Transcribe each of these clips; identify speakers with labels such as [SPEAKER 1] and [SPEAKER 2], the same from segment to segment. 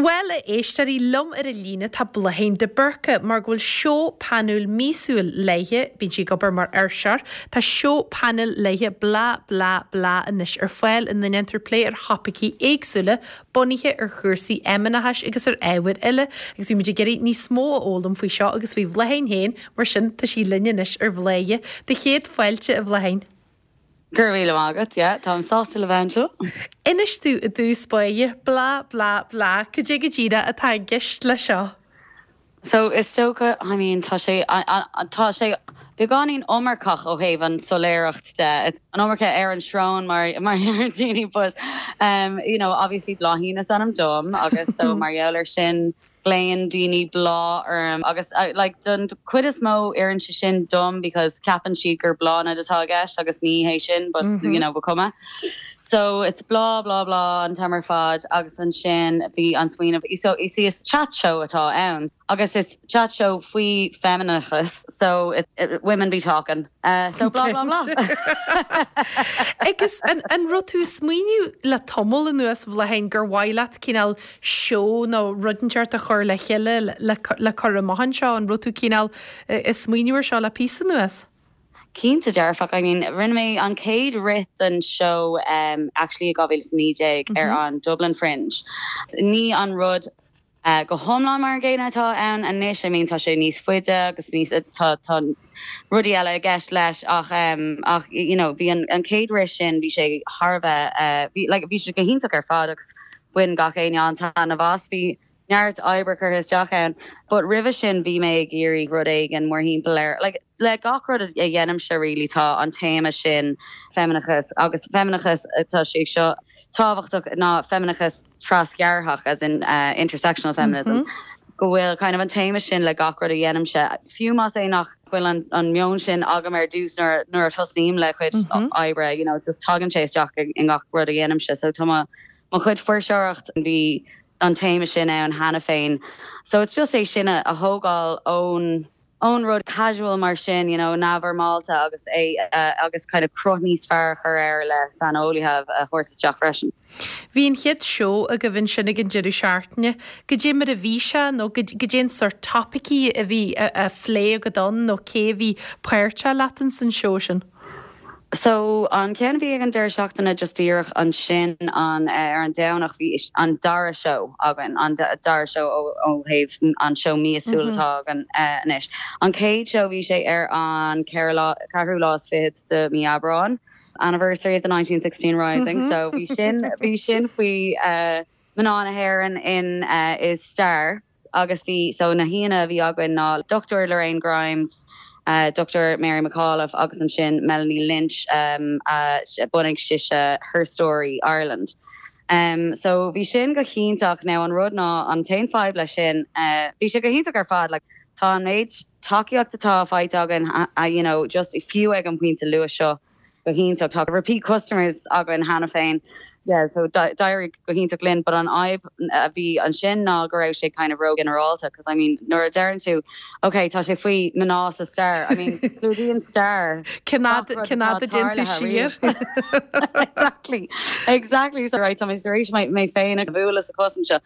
[SPEAKER 1] Bhuel, a éisteoirí, liom ar an líne tá Bláithín de Búrca, mar go bhfuil seó painéil míosúil léithe, bíonn sí ag obair mar fhuirseoir, tá seó painéil léithe Blah Blah Blah anois ar fáil ina ndéantar plé ar thopaicí éagsúla bunaithe ar chúrsaí fheimineachais agus ar ábhair eile agus bhí muid ag iarraidh níos mó a fhoghlaim faoi seo agus faoi Bhláithín féin, mar sin tá sí linn anois ar Bhladhaire. Do chéad fáilte, a Bhláithín.
[SPEAKER 2] Go raibh míle maith agat, yeah, táim sásta le bheith anseo.
[SPEAKER 1] Inis domh i dtús báire, blah blah blah, cad é go díreach atá i gceist leis seo?
[SPEAKER 2] So, is dócha, I mean, tá sé, tá sé beagáinín iomarcach ó thaobh an soiléireacht de, it's an iomarca ar an srón mar mar a deir daoine but, um, you know, obviously Bláithín is ainm dom agus so mar gheall ar sin, Glaonn daoine Bláth orm agus like don chuid is mó oireann sé sin dom because ceapann siad gur Bláthnaid atá i gceist agus ní hé sin but you know ba chuma. So it's blah blah blah an t-am ar fad agus ansin bhí an smaoineamh so you see is chat show atá ann agus is chat show faoi feimineachas so it women be talking. So blah blah blah.
[SPEAKER 1] Agus an an raibh tú ag smaoineamh le tamall anuas a Bhláithín gur mhaith leat cineál seó nó rud inteacht a chur le chéile le le cur amach anseo, an raibh tú cineál ag smaoineamh ar seo le píosa anuas?
[SPEAKER 2] Cinnte dearfach. I mean rinne mé an chéad rith den seó actually i 2019 ar an Dublin Fringe. Ní an rud go hiomlán mar an gcéanna atá ann anois, I mean tá sé níos faide agus níos, tá, tá rudaí eile i gceist leis ach ach you know bhí an an chéad rith sin bhí sé thar a bheith bhí like bhí sé go hiontach ar fad agus bhain gach éinne an-taitneamh as. Bhí neart oibre curtha isteach ann but roimhe sin bhí mé ag iarraidh rud éigin mórthimpeall air like le gach rud a dhéanaimse really tá an téama sin feimineachas agus feimineachas tá sé seo tábhachtach ná feimineachas trasghearrthach, as in intersectional feminism, go bhfuil kind of an téama sin le gach rud a dhéanaimse, fiú más é nach bhfuil an meon sin agam ar dtús nuair nuair a tosnaím le cuid oibre, you know, just tagann sé isteach i ngach rud a dhéanaimse. So tá mo mo chuid fuirseoireacht, bhí an téama sin ann cheana féin. So it's just é sin a thógáil ón ón rud casual mar sin, you know, neamhfhoirmeálta agus é agus kind of cruth níos fearr a chur air le saineolaithe a thabhairt isteach freisin.
[SPEAKER 1] Bhí an chéad seó agaibh ansin ag an deireadh seachtaine. Goidé mar a bhí sé nó goidé an sórt topaicí a bhí á phlé agat ann nó cé a bhí páirteach leat ins an seó sin?
[SPEAKER 2] So, an ceann a bhí ag an deireadh seachtaine just díreach ansin an ar an Domhnach bhí an dara seó againn, an dara seó ó thaobh an seó míosúil atá againn anois. An chéad seó bhí sé ar an ceathrú lá, ceathrú lá is fichead de mí Aibreáin, anniversary of the 1916 Rising, so bhí sin, bhí sin faoi mná na hÉireann in i stair agus bhí so na haíonna a bhí againn ná Dr Lorraine Grimes, Dr Mary McAuliffe agus ansin Melanie Lynch a bhunaigh sise Her Story Ireland. So bhí sin go hiontach. Now an rud ná an t-aon fadhb leis sin, bhí sé go hiontach ar fad like tá an méid tacaíocht atá faighte againn you know just fiú ag an bpointe luath seo, go hiontach. Tá repeat customers againn cheana féin. Yeah, so d'éirigh go hiontach linn but an fhadhb a bhí ansin ná go raibh sé kind of ró-ghinearálta cos I mean nuair a deireann tú ok tá sé faoi mná sa stair, I mean clúdaíonn stair
[SPEAKER 1] Cén fhad gach rud cén atá fhad a dtéann tú tarlaithe siar?
[SPEAKER 2] riamh. Exactly, exactly so right tá mé tar éis mé féin a bhualadh sa chos anseo.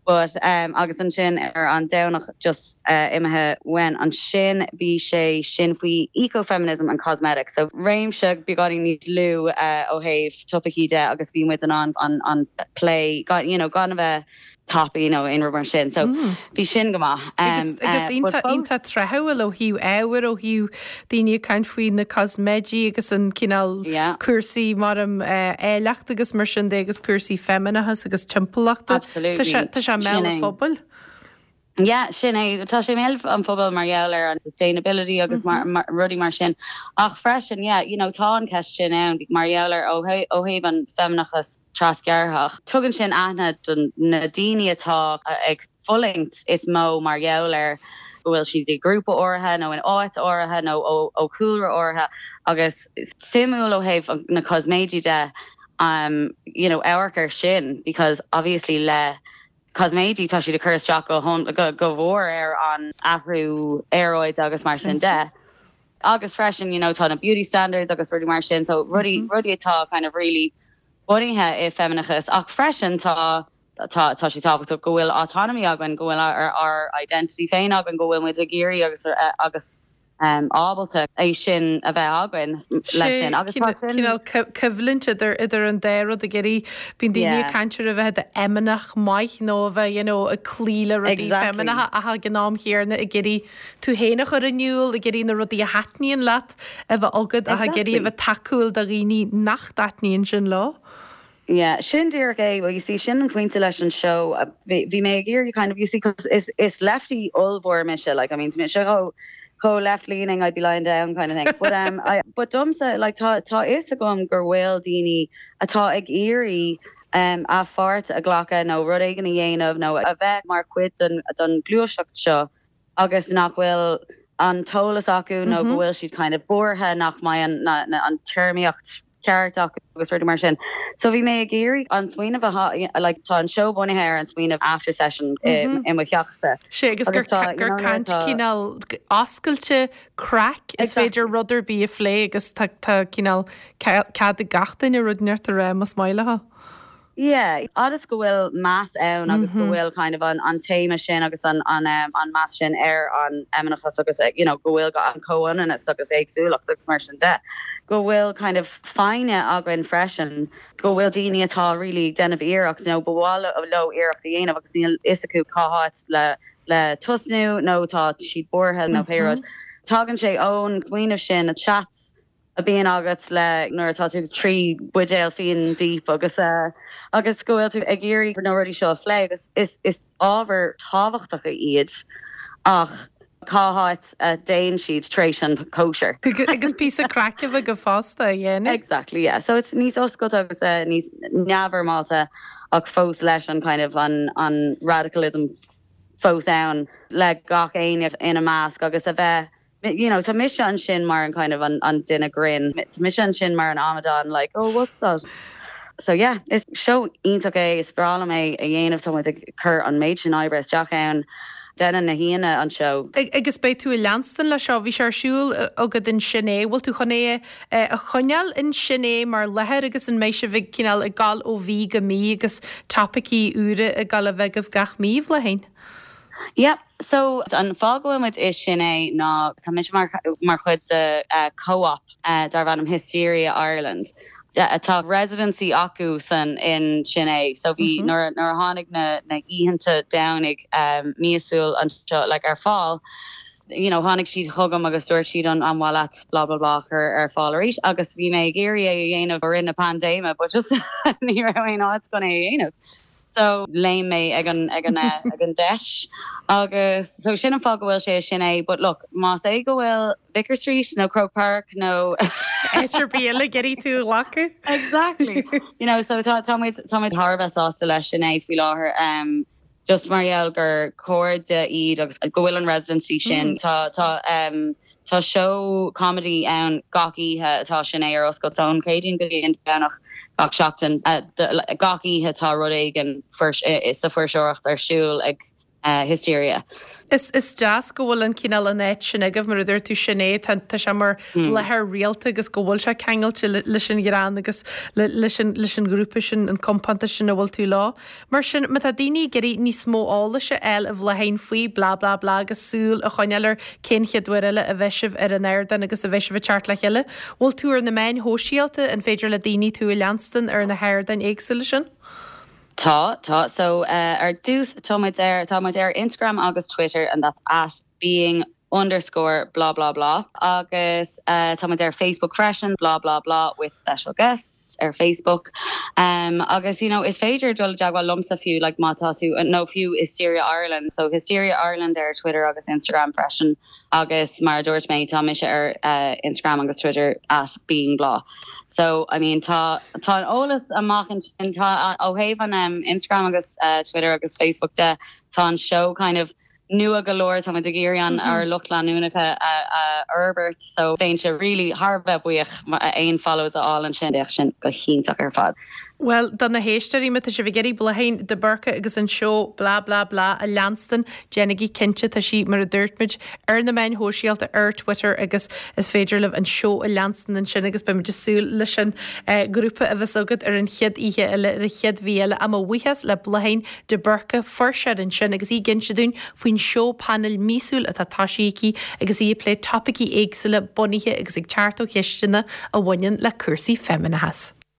[SPEAKER 2] But agus ansin ar an Domhnach just imithe uainn ansin bhí sé sin faoi ecofeminism and cosmetics so réimse beagáinín níos lú ó thaobh topaicí de agus bhí muid in ann an plé you know gan a bheith tapaidh nó aon rud mar sin so bhí sin go maith.
[SPEAKER 1] Agus agus iontach iontach tráthúil ó thaobh ábhair ó thaobh daoine ag caint faoi na cosméidí agus an cineál cúrsaí mar an áilleacht agus mar sin de agus cúrsaí feimineachas agus timpeallachta.
[SPEAKER 2] Absolutely.
[SPEAKER 1] Tá sé i mbéal an phobail.
[SPEAKER 2] Yeah, sin é. Tá sé i mbéal an phobail mar gheall ar an sustainability agus mar, mar, rudaí mar sin. Ach freisin, yeah, you know, tá an cheist sin ann mar gheall ar ó thaobh an feimineachas trasghearrthach. Tugann sin aithne do na daoine atá ag fulaingt is mó mar gheall ar go bhfuil siad i grúpa áirithe nó in áit áirithe nó ó chúlra áirithe agus suimiúil ó thaobh na cosméidí de you know amharc ar sin because obviously le cosméidí tá siad ag cur isteach go go mhór ar an athrú aeráide agus mar sin de. Agus freisin you know tá na beauty standards agus rudaí mar sin so rudaí rudaí atá kind of really bunaithe i feimineachas ach freisin tá. Tá tá sé tábhachtach go bhfuil autonomy againn, go bhfuil ár ár identity féin againn, go bhfuil muid ag iarraidh agus agus ábalta é sin a bheith againn leis sin agus tá sin.
[SPEAKER 1] Cineál coimhlint idir idir an dá rud ag iarraidh, bíonn daoine ag caint ar a bheith i d'fheimineach maith nó a bheith you know ag cloí le rudaí feimineacha ach ag an am chéanna ag iarraidh tú féin a chur in iúl, ag iarraidh na rudaí a thaitníonn leat a bheith agat ach ag iarraidh a bheith tacúil do dhaoine nach dtaitníonn sin leo.
[SPEAKER 2] Yeah, sin díreach é. Well, you see, sin an pointe leis an seó. Bhí, bhí mé ag iarraidh kind of, you see, 'cause is, is lefty ollmhór mise, like, I mean, tá mise chomh, chomh left-leaning, I'd be lying down kind of thing. But, um, I, but domsa, like, tá, tá fhios agam gur bhfuil daoine atá ag iarraidh, um, a pháirt a ghlacadh nó rud éigin a dhéanamh nó a bheith mar chuid den, den ghluaiseacht seo agus nach bhfuil an t-eolas acu nó go bhfuil siad kind of buartha nach mbeidh an, na, na, an téarmaíocht ceart acu agus rudaí mar sin. So bhí mé ag iarraidh an smaoineamh a like tá an seó bunaithe ar an smaoineamh after session i mo theachsa.
[SPEAKER 1] Sé agus gur gur caint cineál oscailte, craic, is féidir rud ar bith a phlé agus tá tá cineál cead ag gach duine rud inteacht a rá más maith leo.
[SPEAKER 2] Yeah, agus go bhfuil meas ann agus go bhfuil kind of an an téama sin agus an an um an meas sin ar an fheimineachas agus you know go bhfuil an comhionannas agus éagsúlacht agus mar sin de. Go bhfuil kind of foighne againn freisin, go bhfuil daoine atá really ag déanamh iarracht nó ba mhaith leo iarracht a dhéanamh agus níl fhios acu cá háit le le tosnú nó tá siad buartha nó pé rud. Tagann sé ón smaoineamh sin, chats a bhíonn agat le nuair atá tú 3 buidéal fíon deep agus agus go bhfuil tú ag iarraidh na rudaí seo a phlé agus is is ábhair tábhachtacha iad ach cá háit a dtéann siad tar éis an cóisir.
[SPEAKER 1] Agus píosa craic a bheith agaibh fosta, a dhéanamh.
[SPEAKER 2] Exactly, yeah. So it's níos oscailte agus níos neamhfhoirmeálta ach fós leis an kind of an an radicalism fós ann le gach éinne ina measc agus a bheith you know, tá mise ansin mar an kind of an, an duine grinn, tá mise ansin mar an amadán like, oh what's that? So yeah, is seó iontach é, is breá liom é a dhéanamh, tá muid ag cur an méid sin oibre isteach ann. Déanann na haíonna an seó.
[SPEAKER 1] Agus beidh tú ag leanstan leis seo, bhí sé ar siúl agat in Sin É, bhfuil tú chun é a choinneáil in Sin É mar láthair agus an mbeidh sibh ag cineál ag gabháil ó mhí go mí agus topaicí úra ag gabháil a bheith agaibh gach mí, a Bhláithín?
[SPEAKER 2] Yep. So, an fáth go bhfuil muid i Sin É ná tá mise mar mar chuid de co-op darb ainm Hysteria Ireland. Tá residency acu san in Sin É. So bhí nuair nuair a tháinig na na oícheanta Domhnaigh míosúil anseo like ar fáil, you know, tháinig siad chugam agus dúirt siad an an mhaith leat blah blah blah a chur ar fáil arís agus bhí mé ag iarraidh é a dhéanamh i rith na paindéime but just ní raibh aon áit chun é a dhéanamh. So léim mé ag an ag an ag an deis agus so sin an fáth go bhfuil sé i Sin É but look más é go bhfuil Vicar Street nó Croke Park nó
[SPEAKER 1] Áit ar bith eile ag iarraidh tú a ghlacadh.
[SPEAKER 2] Exactly. You know so tá tá muid tá muid thar a bheith sásta leis Sin É faoi láthair um just mar gheall gur cairde iad agus go bhfuil an residency sin tá tá um Tá seó comedy ann gach oíche atá Sin É ar oscailt ón Chéadaoin go dtí an Domhnach gach seachtain. Gach oíche tá rud éigin sa fuirseoireacht ar siúl ag Hysteria.
[SPEAKER 1] Is is deas go bhfuil an cineál an áit sin agaibh mar a dúirt tú sin é tá tá sé mar láthair rialta agus go bhfuil sé ceangailte leis an ghreann agus leis an leis an ghrúpa sin an compántas sin a bhfuil tú leo. Mar sin, má tá daoine ag iarraidh níos mó eolais a fháil a Bhláithín faoi blah blah blah agus súil a choinneáil ar cén chéad uair eile a bheidh sibh ar an ardán agus a bheidh sibh ag teacht le chéile, bhfuil tú ar na meáin shóisialta, an féidir le daoine tú a leanstan ar na hardáin éagsúla sin?
[SPEAKER 2] Tá, tá. So, ar dtús, tá muid ar, tá muid ar Instagram agus Twitter and that's at being underscore blah blah blah agus tá muid ar Facebook freisin blah blah blah with special guests ar Facebook um, agus you know is féidir dul i dteagmháil liomsa fiú like má tá tú nó fiú Hysteria Ireland so Hysteria Ireland ar Twitter agus Instagram freisin agus mar a dúirt mé tá mise ar uh, Instagram agus Twitter at being blah so I mean tá tá an eolas amach ansin tá ó thaobh an um, Instagram agus uh, Twitter agus Facebook de tá an show kind of nua go leor, tá muid ag iarraidh an ár lucht leanúnacha a fhorbairt so bheinnse really thar a bheith buíoch aon follows a fháil ansin, bheadh sin go hiontach ar fad.
[SPEAKER 1] Bhuel, do na héisteoirí, má tá sibh ag iarraidh Bláithín de Búrca agus an seó Blah Blah Blah a leanstan, déanaigí cinnte, tá sí, mar a dúirt muid, ar na meáin shóisialta, ar Twitter agus is féidir libh an seó a leanstan ansin agus beimid ag súil leis an ghrúpa a bheas agat ar an chéad oíche eile, ar an chéad mhí eile. Ach mo bhuíochas le Bláithín de Búrca, fuirseoir ansin agus í ag inse dúinn faoin seó painéil míosúil atá tosaithe aici agus í ag plé topaicí éagsúla bunaithe agus ag teacht ó cheisteanna a bhaineann le cúrsaí feimineachais.